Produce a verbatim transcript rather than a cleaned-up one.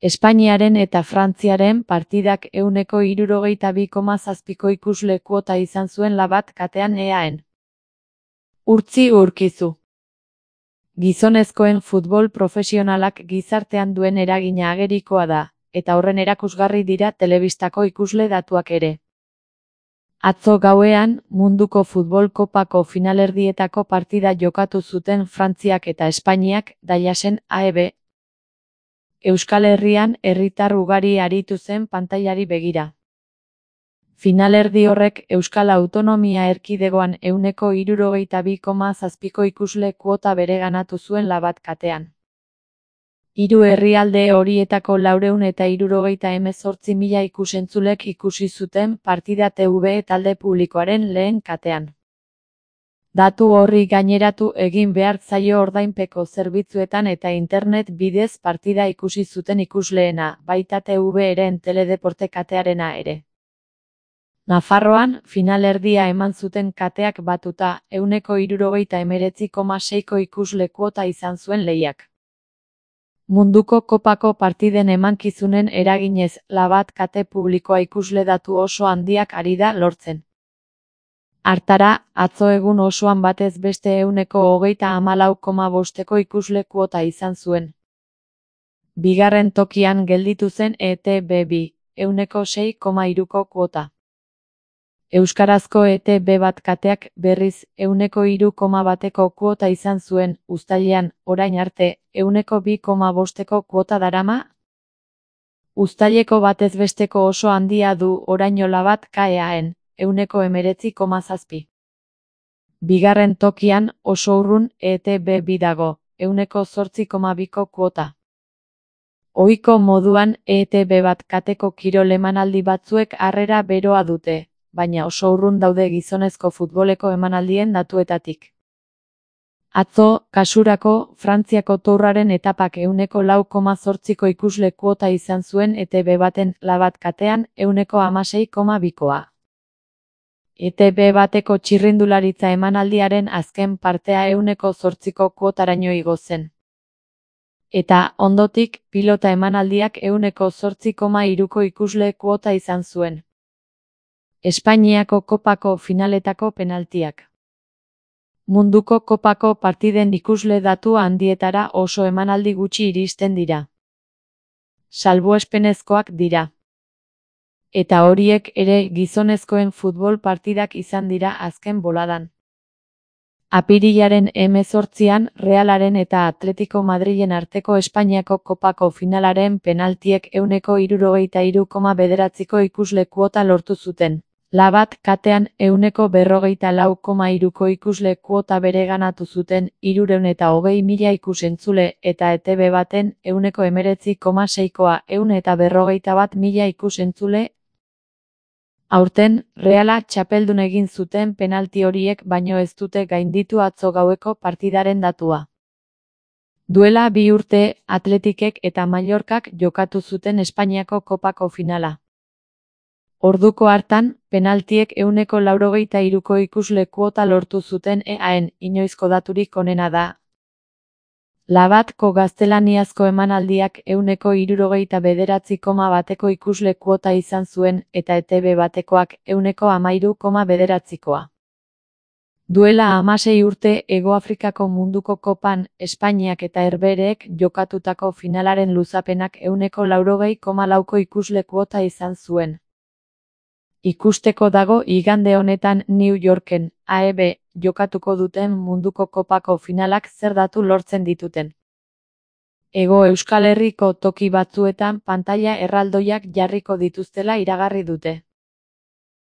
Espainiaren eta Frantziaren partidak ehuneko hirurogeita bi koma zazpiko ikusle kuota izan zuen Labat katean eaen. Urtzi Urkizu. Gizonezkoen futbol profesionalak gizartean duen eragina agerikoa da, eta horren erakusgarri dira telebistako ikusle datuak ere. Atzo gauean, munduko futbol kopako finalerdietako partida jokatu zuten Frantziak eta Espainiak, Dallasen A E B. Euskal Herrian herritar ugari aritu zen pantailari begira. Finalerdi horrek Euskal Autonomia Erkidegoan ehuneko hirurogeita bi koma zazpiko ikusle kuota bereganatu zuen Labat katean. Hiru herrialde horietako laurehun eta hirurogeita hemezortzi mila ikusentzulek ikusi zuten partida T V talde publikoaren lehen katean. Datu horri gaineratu egin behar zaio ordainpeko zerbitzuetan eta internet bidez partida ikusi zuten ikusleena, baita T V-ren teledeporte katearena ere. Nafarroan, finalerdia eman zuten kateak batuta, ehuneko hirurogeita hemeretzi koma seiko ikusle kuota izan zuen lehiak. Munduko kopako partiden emankizunen eraginez, Labat kate publikoa ikusle datu oso handiak ari da lortzen. Hartara, atzo egun osoan batez beste ehuneko hogeita hamalau koma bosteko ikusle kuota izan zuen. Bigarren tokian gelditu zen E T B bi, ehuneko sei koma hiruko kuota. Euskarazko E T B bat kateak berriz ehuneko hiru koma bateko kuota izan zuen, uztailean, orain arte, ehuneko bi koma bosteko kuota darama. Uztaileko batez besteko oso handia du oraino Labat kaeaen, ehuneko hemeretzi koma zazpi. Bigarren tokian, oso urrun E T B bi dago, ehuneko zortzi koma biko kuota. Ohiko moduan E T B bat kateko kirol emanaldi batzuek harrera beroa dute, baina oso urrun daude gizonezko futboleko emanaldien datuetatik. Atzo, kasurako, Frantziako tourraren etapak ehuneko lau koma zortziko ikusle kuota izan zuen E T B baten Labat katean ehuneko hamasei koma bikoa. E T B bateko txirrindularitza emanaldiaren azken partea ehuneko zortziko kuotaraino igo zen. Eta, ondotik, pilota emanaldiak ehuneko zortzi koma hiruko ikusle kuota izan zuen. Espainiako kopako finaletako penaltiak. Munduko kopako partiden ikusle datu handietara oso emanaldi gutxi iristen dira. Salbuespenezkoak dira. Eta horiek ere gizonezkoen futbol partidak izan dira azken boladan. Apirilaren hemezortzian Realaren eta Atletico Madrilen arteko Espainiako kopako finalaren penaltiek ehuneko hirurogeita hiru koma bederatziko ikusle kuota lortu zuten. Labat katean ehuneko berrogeita lau koma hiruko ikusle kuota bereganatu zuten hirurehun eta hogei mila ikusentzule eta E T B baten ehuneko hemeretzi koma seikoa ehun eta berrogeita bat mila ikusentzule. Aurten, Reala txapeldun egin zuten penalti horiek baino ez dute gainditu atzo gaueko partidaren datua. Duela bi urte, Atletikek eta Mallorcak jokatu zuten Espainiako kopako finala. Orduko hartan, penaltiek ehuneko laurogeita hiruko ikusle kuota lortu zuten eaen, inoizko daturik onena da. Labatko gaztelaniazko emanaldiak ehuneko hirurogeita bederatzi koma bateko ikusle kuota izan zuen eta E T B batekoak ehuneko hamairu koma bederatzikoa. Duela hamasei urte Hego Afrikako munduko kopan, Espainiak eta Herbehereek jokatutako finalaren luzapenak ehuneko laurogei koma lauko ikusle kuota izan zuen. Ikusteko dago igande honetan New Yorken, A E B, jokatuko duten munduko kopako finalak zer datu lortzen dituten. Hego Euskal Herriko toki batzuetan pantaila erraldoiak jarriko dituztela iragarri dute.